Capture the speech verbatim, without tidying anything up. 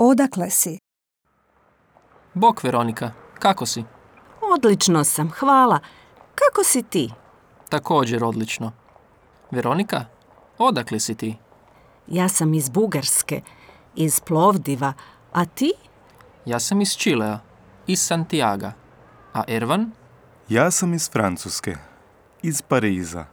odakle si? Bok, Veronika, kako si? Odlično sam, hvala. Kako si ti? Također odlično. Veronika, odakle si ti? Ja sam iz Bugarske, iz Plovdiva, a ti? Ja sam iz Čilea, iz Santiaga. A Ervan? Ja sam iz Francuske, iz Pariza.